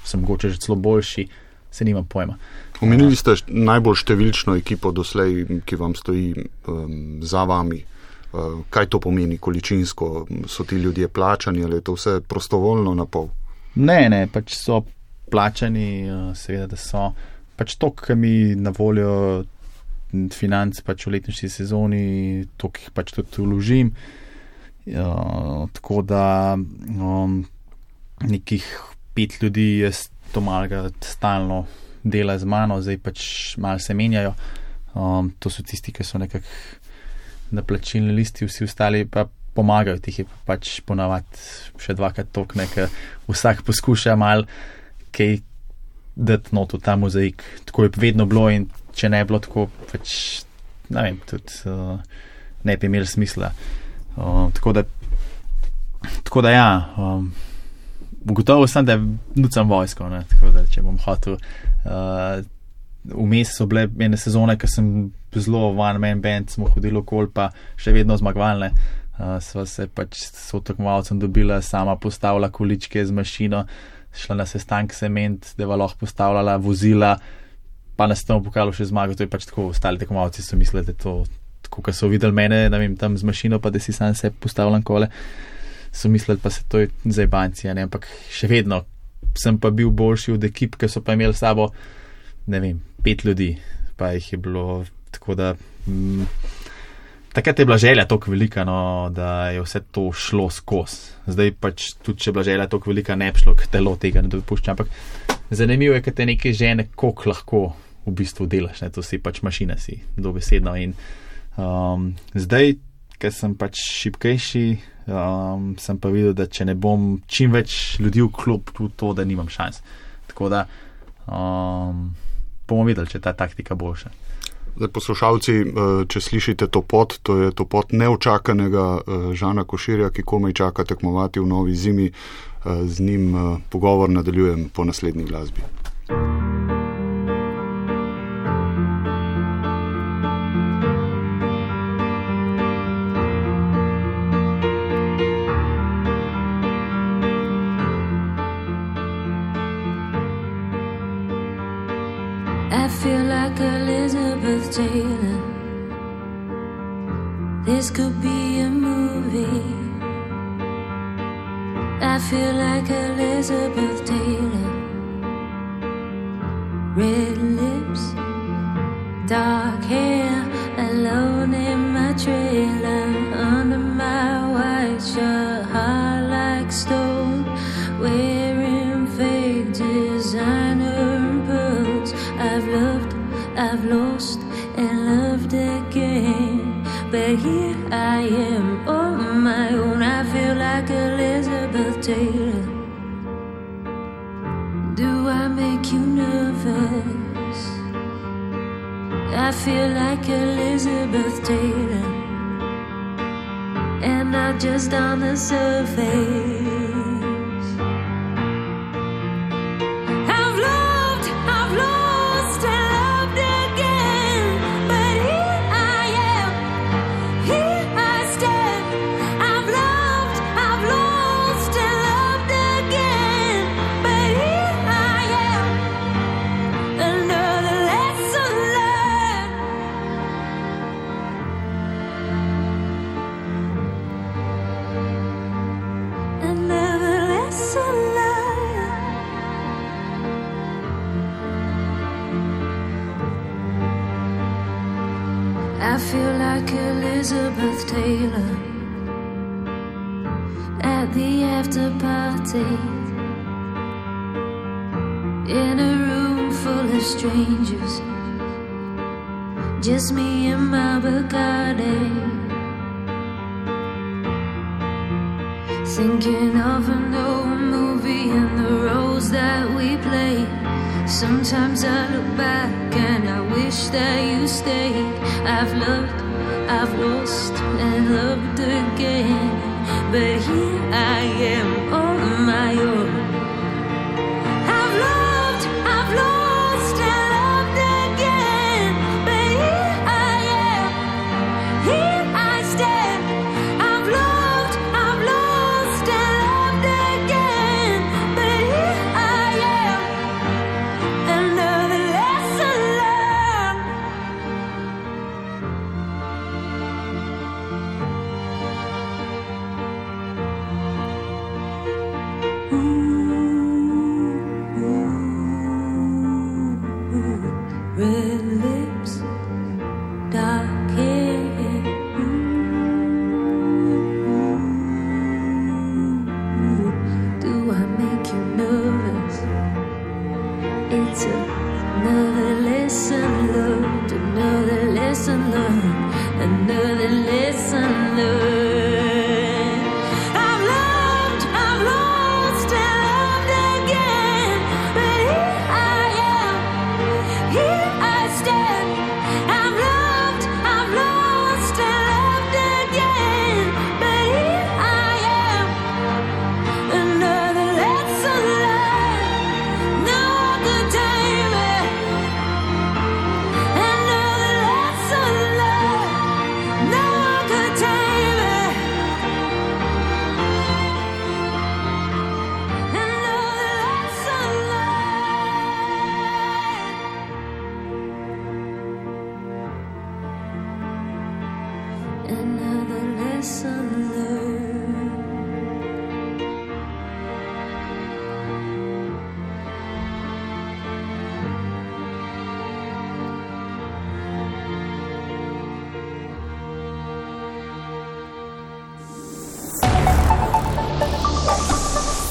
sem mogoče že celo boljši, se nimam pojma. Omenili ste najbolj številčno ekipo doslej, ki vam stoji um, za vami. Uh, kaj to pomeni količinsko? So ti ljudje plačani ali je to vse prostovoljno na pol? Ne, ne, pač so plačani, uh, seveda, da so pač to, ki mi na voljo financ pač v letnični sezoni, to, ki jih pač tudi vložim. Uh, tako da um, nekih pet ljudi je to malega stalno dela z mano, zdaj pač malo se menjajo. Um, to so tisti, ki so nekako na plačilni listi, vsi ostali pa pomagajo, tih je pač ponavadi še dvakrat toliko, ker vsak poskuša malo kaj dati not v ta mozaik. Tako je vedno bilo in če ne bi bilo tako, pač, ne vem, tudi uh, ne bi imeli smisla. Uh, tako da, tako da ja, um, ugotovil sem, da nucam vojsko, ne, tako da, če bom hotel. Uh, vmes so bile ene sezone, ker sem zelo one man band, smo hodili okoli, pa še vedno zmagovalne. Uh, sva se pač s tekmovalcem dobila, sama postavila količke z mašino, šla na sestank sement, da je lahko postavljala vozila, pa nas tam pokalo še zmago, to je pač tako, ostali tekmovalci so mislili, da je to, tako, ko so videli mene, ne vem, tam z mašino, pa da si sam se postavljam kole, so mislili, pa se to je zajbancija, ne, ampak še vedno sem pa bil boljši od ekip, ki so pa imeli s sabo, ne vem, pet ljudi, pa jih je bilo, tako da, mm, takrat je bila želja toliko velika, no, da je vse to šlo skozi. Zdaj pač tudi, če je bila želja toliko velika, ne bi šlo, ker telo tega ne dopušča, ampak zanimivo je, ker te neke žene, koliko lahko v bistvu delaš, ne, to si pač mašina, si dobesedno in um, zdaj, ker sem pač šibkejši, um, sem pa videl, da če ne bom čim več ljudi vklopil v to, da nimam šans. Tako da um, bomo videli, če je ta taktika boljša. Zdaj, poslušalci, če slišite to pot, to je to pot neočakanega Žana Koširja, ki komaj čaka tekmovati v novi zimi. Z njim pogovor nadaljujem po naslednji glasbi. I feel like Elizabeth Taylor. This could be a movie. I feel like Elizabeth Taylor. Red lips, dark hair, alone in my trailer, under my white shirt, hard like stone, wearing fake designer and pearls. I've loved, I've lost, and loved again, but here I am on my own. I feel like Elizabeth Taylor. Do I make you nervous? I feel like Elizabeth Taylor, and not just on the surface. I feel like Elizabeth Taylor at the after party, in a room full of strangers, just me and my Bacardi. Thinking of an old movie and the roles that we played. Sometimes I look back and I wish that you stayed. I've loved, I've lost and loved again, but here I am on my own. I've loved, I've lost and loved again, but here I am, here I stand. I've loved, I've lost and loved again, but here I am, another lesson learned. Red lips, dark hair. Do I make you nervous? It's another lesson learned, another lesson learned, another lesson learned. I've loved, I've lost and loved again, but here I am, here I stand. I've loved, I've lost and loved again, but here I am, another lesson learned. No one could tame it. Another lesson learned. No one could tame it. Another lesson learned. Another lesson learned.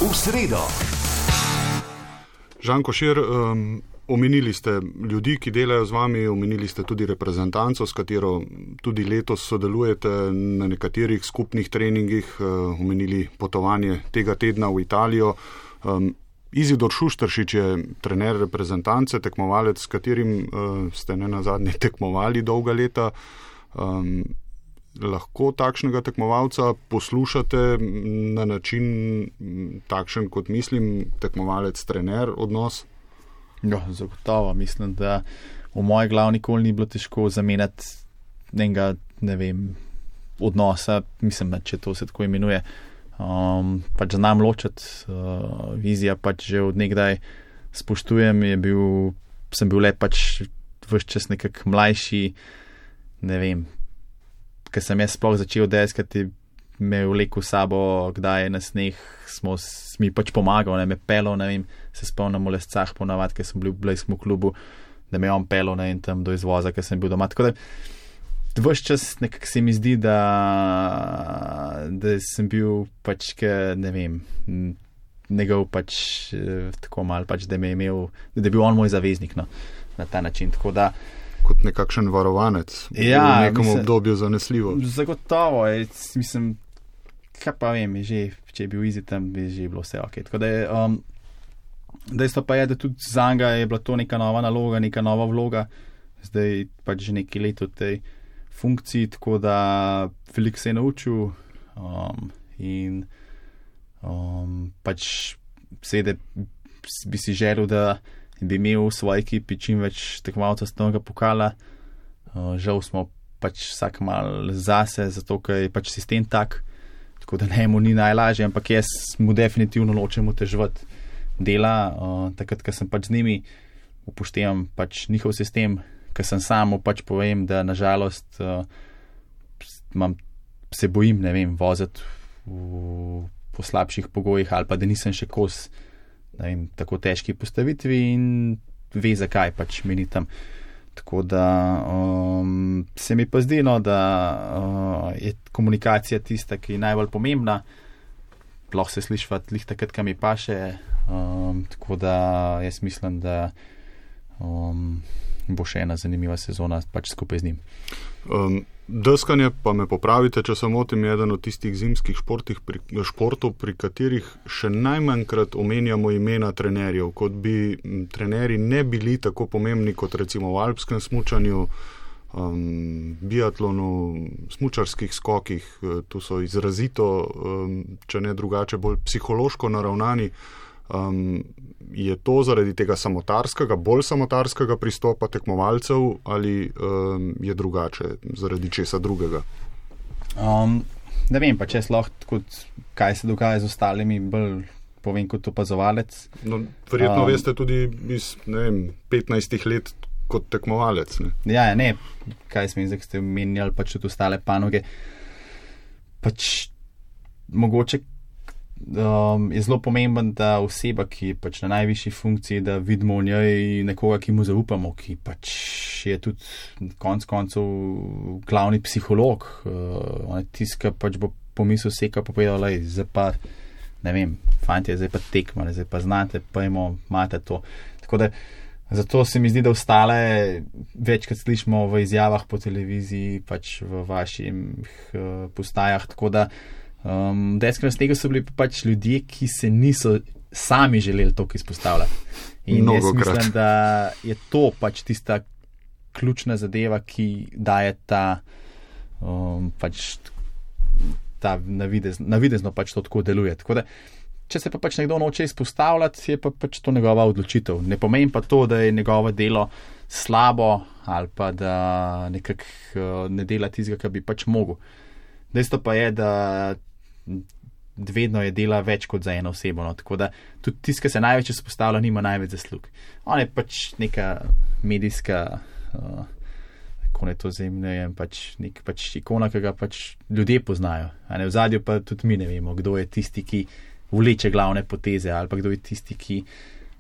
V sredo. Žan Košir, um, omenili ste ljudi, ki delajo z vami, omenili ste tudi reprezentanco, s katero tudi letos sodelujete na nekaterih skupnih treningih, uh, omenili potovanje tega tedna v Italijo. Um, Izidor Šušteršič je trener reprezentance, tekmovalec, s katerim uh, ste ne nazadnje tekmovali dolga leta. Um, lahko takšnega tekmovalca poslušate na način takšen, kot mislim, tekmovalec-trener odnos? Ja, zagotovo. Mislim, da v moji glavi nikoli ni bilo težko zamenjati enega, ne vem, odnosa, mislim, če to se tako imenuje. Um, pač znam ločati, uh, vizija pač že od nekdaj spoštujem, je bil, sem bil le pač ves čas nekak mlajši, ne vem, ker sem jaz sploh začel deskati, me je vlekel sabo, kdaj je na sneh, smo, mi pač pomagal, ne, me pelo, ne vem, se spomnim v Lescah ponavad, ker sem bil v blejskemu klubu, da me je on pelo, ne, in tam do izvoza, ker sem bil doma. Tako da ves čas nekako se mi zdi, da, da sem bil pač, ke, ne vem, njegov pač tako mal, pač, da me je imel, da je bil on moj zaveznik, no, na ta način, tako da kot nekakšen varovanec, ja, v nekem mislim, obdobju zanesljivo. Zagotovo, je, mislim, kaj pa vem, je že, če je bil Izi tam, bi že bilo vse ok. Tako da je, um, dejstvo pa je, da tudi za njega je bila to neka nova naloga, neka nova vloga, zdaj pač že nekaj let v tej funkciji, tako da veliko se je naučil um, in um, pač seveda bi si želel, da bi imel v svoji ekipi čim več tekmovalcev svetovnega pokala. Uh, žal smo pač vsak mal zase, zato ker je pač sistem tak, tako da ne mu ni najlažje, ampak jaz mu definitivno nočem oteževati dela. Uh, takrat, ko sem pač z njimi, upoštevam pač njihov sistem, ker sem sam, pač povem, da nažalost uh, mam, se bojim, ne vem, voziti v, po slabših pogojih ali pa da nisem še kos vem, tako težki postavitvi in ve, zakaj pač meni tam. Tako da um, se mi pa zdi, no, da uh, je komunikacija tista, ki je najbolj pomembna. Lahko se slišva tlih takrat, kam mi paše. Um, tako da jaz mislim, da um, bo še ena zanimiva sezona pač skupaj z njim. Um, deskanje, pa me popravite, če se motim, je eden od tistih zimskih športih, pri, športov, pri katerih še najmanjkrat omenjamo imena trenerjev, kot bi trenerji ne bili tako pomembni kot recimo v alpskem smučanju, um, biatlonu, smučarskih skokih. Tu so izrazito, um, če ne drugače, bolj psihološko naravnani. Um, je to zaradi tega samotarskega, bolj samotarskega pristopa tekmovalcev ali um, je drugače, zaradi česa drugega? Um, ne vem, pa če je lahko, kot, kaj se dogaja z ostalimi, bolj povem kot opazovalec. No, verjetno um, veste tudi iz ne vem, petnajstih let kot tekmovalec. Ne? Ja, ne, kaj smo zdaj, ste omenjali pač tudi ostale panoge. Pač mogoče Um, je zelo pomemben, da oseba, ki je pač na najvišji funkciji, da vidimo v njej nekoga, ki mu zaupamo, ki pač je tudi konc koncev glavni psiholog. Uh, on je tiska, pač bo pomislil seka, pa povedal, lej, zdaj pa, ne vem, fantje, zdaj pa tekma, zdaj pa znate, pojmo, imate to. Tako da, zato se mi zdi, da ostale večkrat slišimo v izjavah po televiziji, pač v vaših uh, postajah, tako da Um, deskanje z tega so bili pač ljudje, ki se niso sami želeli toliko izpostavljati. In Mnogo jaz mislim, krat. da je to pač tista ključna zadeva, ki daje ta, um, pač ta navidez, navidezno pač to tako deluje. Tako da, če se pa pač nekdo noče izpostavljati, je pa pač to njegova odločitev. Ne pomeni pa to, da je njegovo delo slabo ali pa da nekak uh, ne dela tistega, kar bi pač mogel. Dejstvo pa je, da vedno je dela več kot za eno osebo, no. Tako da tudi tisti, ki se največ izpostavlja, nima največ zaslug. On je pač neka medijska, uh, kako ne to zemlje, pač nek pač ikona, ki ga pač ljudje poznajo. A ne, v zadju pa tudi mi ne vemo, kdo je tisti, ki vleče glavne poteze ali pa kdo je tisti, ki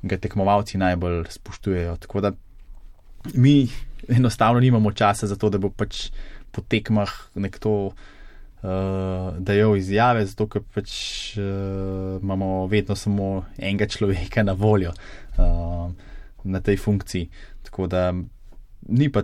ga tekmovalci najbolj spoštujejo. Tako da mi enostavno nimamo časa za to, da bo pač po tekmah nekdo Uh, dajo izjave, zato ker pač uh, imamo vedno samo enega človeka na voljo uh, na tej funkciji. Tako da ni pa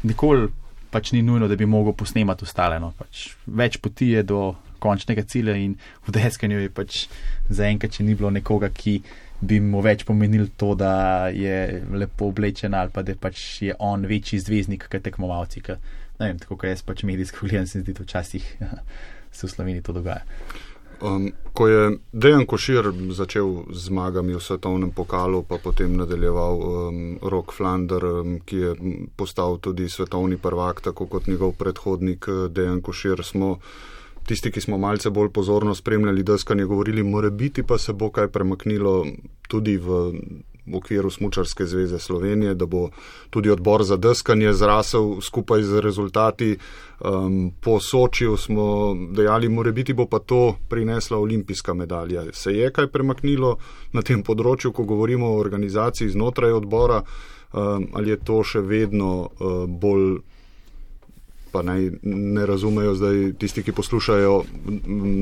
nikoli pač ni nujno, da bi mogel posnemati ostale. No. Pač več poti je do končnega cilja in v deskanju je pač zaenkrat, če ni bilo nekoga, ki bi mu več pomenil to, da je lepo oblečen ali pa da pač je on večji zvezdnik kot tekmovalci. Ka, ne vem, tako kot jaz pač medijsko gledam, se zdi, da včasih se v Sloveniji to dogaja. Um, ko je Dejan Košir začel z zmagami v svetovnem pokalu, pa potem nadaljeval um, Rok Flander, um, ki je postal tudi svetovni prvak, tako kot njegov predhodnik Dejan Košir, smo tisti, ki smo malce bolj pozorno spremljali deskanje, govorili, more biti pa se bo kaj premaknilo tudi v v okviru Smučarske zveze Slovenije, da bo tudi odbor za deskanje zrasel skupaj z rezultati. Um, po Sočiju smo dejali, more biti bo pa to prinesla olimpijska medalja. Se je kaj premaknilo na tem področju, ko govorimo o organizaciji znotraj odbora, um, ali je to še vedno uh, bolj, pa naj ne razumejo zdaj tisti, ki poslušajo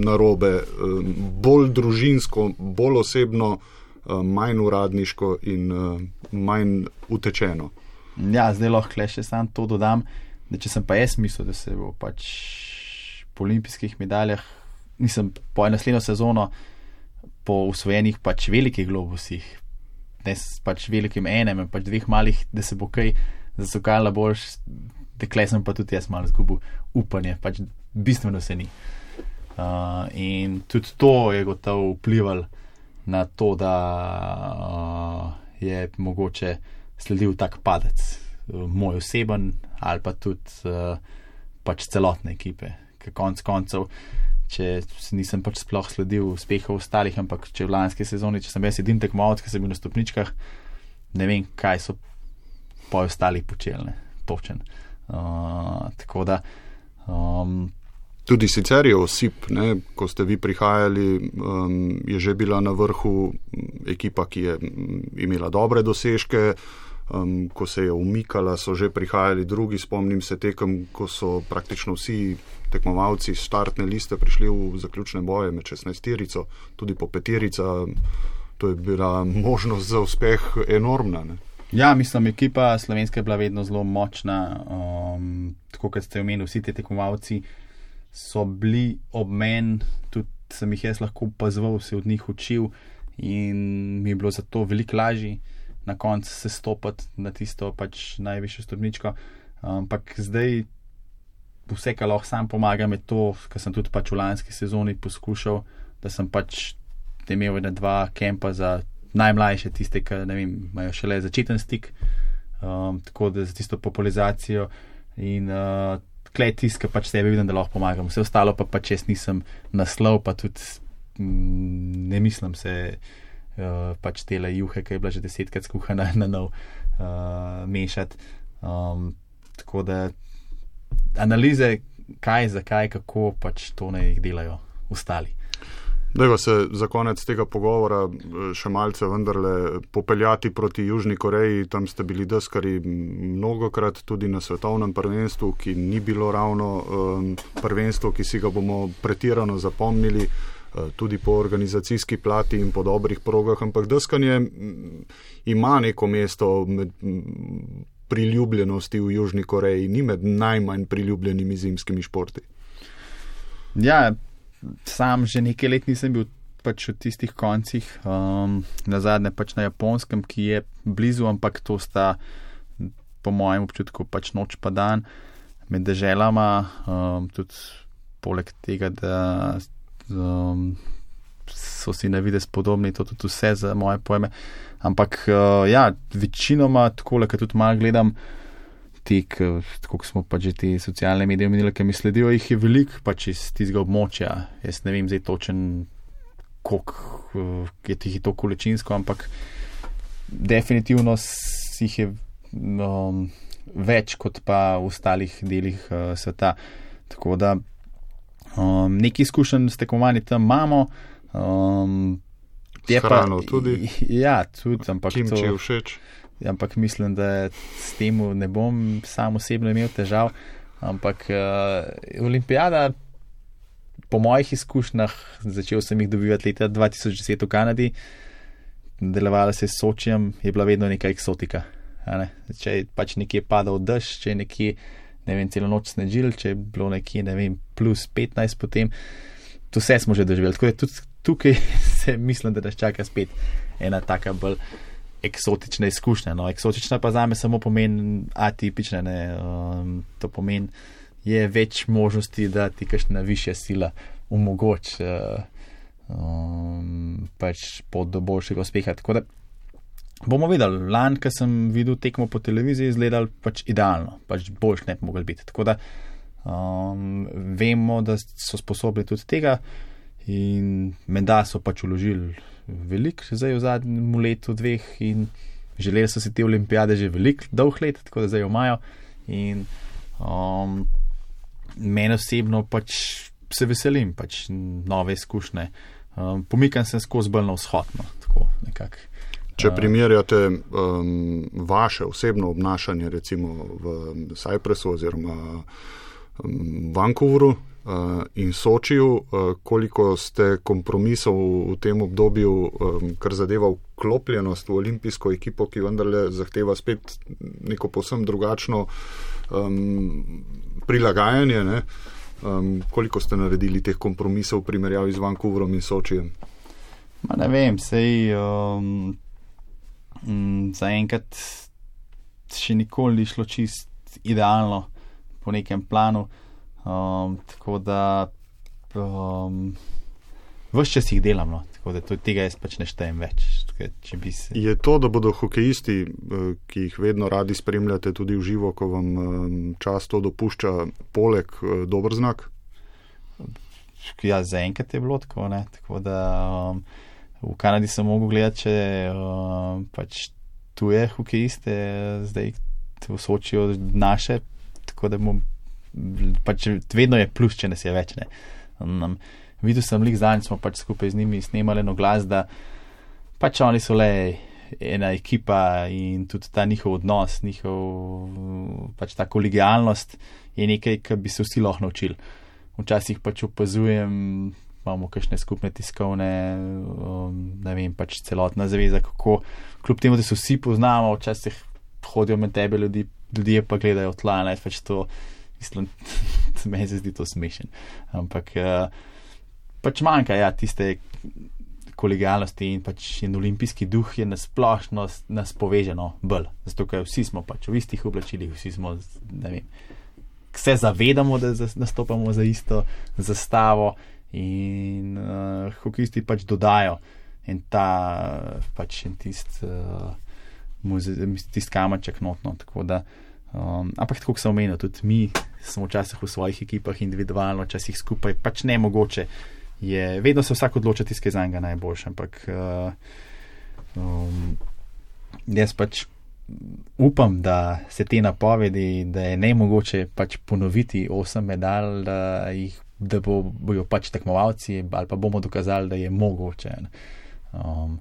narobe, um, bolj družinsko, bolj osebno, manj uradniško in uh, manj utečeno. Ja, zdaj lahko le še sam to dodam, da če sem pa jaz mislil, da se bo pač po olimpijskih medaljah, nisem po naslednjo sezono po usvojenih pač velikih globusih, ne pač velikim enem, pač dveh malih, da se bo kaj zasukala boljš, dekle sem pa tudi jaz malo zgubil upanje, pač bistveno se ni. Uh, in tudi to je gotovo vplivalo na to, da uh, je mogoče sledil tak padec, uh, moj oseben ali pa tudi uh, pač celotne ekipe. Ker konc koncev, če nisem pač sploh sledil uspehov ostalih, ampak če v lanski sezoni, če sem jaz edin tekmovalec, ki sem bil na stopničkah, ne vem, kaj so po ostalih počeli, točen. Uh, tako da um, tudi sicer je osip, ne, ko ste vi prihajali, um, je že bila na vrhu ekipa, ki je imela dobre dosežke, um, ko se je umikala, so že prihajali drugi, spomnim se tekem, ko so praktično vsi tekmovalci startne liste prišli v zaključne boje med šestnajsterico, tudi po peterica, to je bila možnost za uspeh enormna. Ne. Ja, mislim, ekipa slovenska je bila vedno zelo močna, um, tako kot ste omenili, vsi te tekmovalci so bili ob meni, tudi sem jih jaz lahko opazoval, se od njih učil in mi je bilo zato veliko lažje na koncu se stopati na tisto pač najvišjo stopničko, ampak zdaj vse, kar lahko sam pomagam, je to, kar sem tudi pač v lanski sezoni poskušal, da sem pač imel ena dva kempa za najmlajše, tiste, ki ne vem, imajo šele začeten stik, um, tako da za tisto popularizacijo in uh, klej tist, ki pač sebe vidim, da lahko pomagam. Vse ostalo pa pač jaz nisem naslov, pa tudi mm, ne mislim se uh, pač tele juhe, ki je bila že desetkrat skuhana na nov uh, mešati. Um, tako da analize, kaj, zakaj, kako pač to ne jih delajo ostali. Dajva se za konec tega pogovora še malce vendarle popeljati proti Južni Koreji. Tam ste bili deskari mnogokrat tudi na svetovnem prvenstvu, ki ni bilo ravno um, prvenstvo, ki si ga bomo pretirano zapomnili, uh, tudi po organizacijski plati in po dobrih progah, ampak deskanje ima neko mesto med priljubljenosti v Južni Koreji, ni med najmanj priljubljenimi zimskimi športi. Ja, sam že nekaj let nisem bil pač v tistih koncih, um, nazadnje pač na Japonskem, ki je blizu, ampak to sta po mojem občutku pač noč pa dan med deželama, um, tudi poleg tega, da um, so si na videz podobni, to tudi vse za moje pojme, ampak uh, ja, večinoma takole, kad tudi malo gledam tek, tako smo pač že te socialne medije omenili, ki mi sledijo, jih je veliko pač iz tistega območja. Jaz ne vem zdaj točen, koliko je tih to količinsko, ampak definitivno jih je um, več kot pa v ostalih delih uh, sveta. Tako da um, nekaj izkušenj s tekmovanji tam imamo. Um, S hrano tudi? Ja, tudi, ampak kimči to... je všeč? Ampak mislim, da s tem ne bom sam osebno imel težav, ampak uh, olimpijada po mojih izkušnjah, začel sem jih dobivati leta dva tisoč deset v Kanadi, delovala se s Sočijem, je bila vedno neka eksotika. Ne? Če je pač nekje padal dež, če je nekje, ne vem, celo noč snežil, če je bilo nekje, ne vem, plus petnajst potem, to vse smo že doživeli. Tako da tudi tukaj se mislim, da nas čaka spet ena taka bolj eksotična izkušnja. No, eksotična pa zame samo pomeni atipična, ne, um, to pomeni, je več možnosti, da ti kakšna višja sila omogoči uh, um, pač pot do boljšega uspeha. Tako da bomo videli. Lani, ko sem videl tekmo po televiziji, izgledal pač idealno, pač boljš ne bi mogel biti. Tako da um, vemo, da so sposobni tudi tega in menda so pač uložili veliko zdaj v zadnjem letu, dveh in želeli so si te olimpijade že veliko, dolg let, tako da zdaj jo imajo in um, meni osebno pač se veselim pač nove izkušnje. Um, pomikam se skozi bolj na vzhod, no, tako nekako. Če primerjate um, vaše osebno obnašanje recimo v Cypressu oziroma um, Vancouveru Uh, in Sočiju, uh, koliko ste kompromisov v tem obdobju, um, kar zadeva vklopljenost v olimpijsko ekipo, ki vendarle zahteva spet neko povsem drugačno um, prilagajanje, ne? Um, koliko ste naredili teh kompromisov v primerjavi z Vancouverom in Sočijem? Ma ne vem, sej um, um, zaenkrat še nikoli ni šlo čist idealno po nekem planu. Um, tako da um, vse čas jih delam, no. Tako da tega jaz pač ne štejem več. Tako, če bi se... Je to, da bodo hokejisti, ki jih vedno radi spremljate tudi v živo, ko vam um, čas to dopušča, poleg uh, dober znak? Ja, zaenkrat je bilo tako, ne. Tako da um, v Kanadi sem mogel gledati, če um, pač tuje hokejiste zdaj v Sočiju naše, tako da bom pač vedno je plus, če nas je več, ne. Um, videl sem lik zanj, smo pač skupaj z njimi snemali eno glas, da pač oni so le ena ekipa in tudi ta njihov odnos, njihov pač ta kolegialnost je nekaj, kar bi se vsi lahko naučili. Včasih pač opazujem imamo kakšne skupne tiskovne, um, ne vem, pač celotna zaveza, kako kljub temu, da se vsi poznamo, včasih hodijo med tebe ljudi, ljudje pa gledajo tla, ne, pač to, mislim, meni se zdi to smešen. Ampak uh, pač manjka, ja, tiste kolegialnosti in pač in olimpijski duh je nasplošno nas poveženo bolj, zato ker vsi smo pač v istih oblačilih, vsi smo, ne vem, se zavedamo, da nastopamo za isto zastavo in uh, hokejisti pač dodajo in ta pač in tist uh, tist kamaček notno, tako da um, ampak tako, kot sem omenil, tudi mi smo včasih v svojih ekipah individualno, včasih skupaj, pač nemogoče je, vedno se vsak odloča tiskaj za njega najboljše, ampak uh, um, jaz pač upam, da se te napovedi, da je nemogoče pač ponoviti osem medalj, da jih, da bo, bojo pač tekmovalci ali pa bomo dokazali, da je mogoče. Um,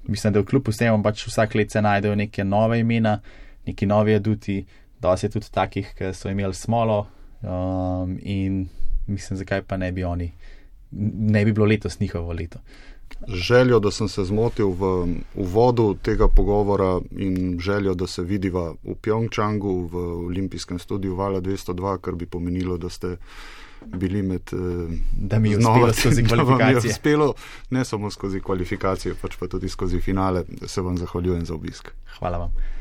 mislim, da v kljub vsemu pač vsak let se najdejo neke nove imena, neki novi aduti, dosti je tudi takih, ki so imeli smolo um, in mislim, zakaj pa ne bi oni, ne bi bilo letos njihovo leto. Željo, da sem se zmotil v uvodu tega pogovora in željo, da se vidiva v Pjongčangu v olimpijskem studiu Vala dvesto dva, kar bi pomenilo, da ste bili med da mi je uspelo skozi kvalifikacije. Da mi je uspelo ne samo skozi kvalifikacije, pač pa tudi skozi finale. Se vam zahvaljujem za obisk. Hvala vam.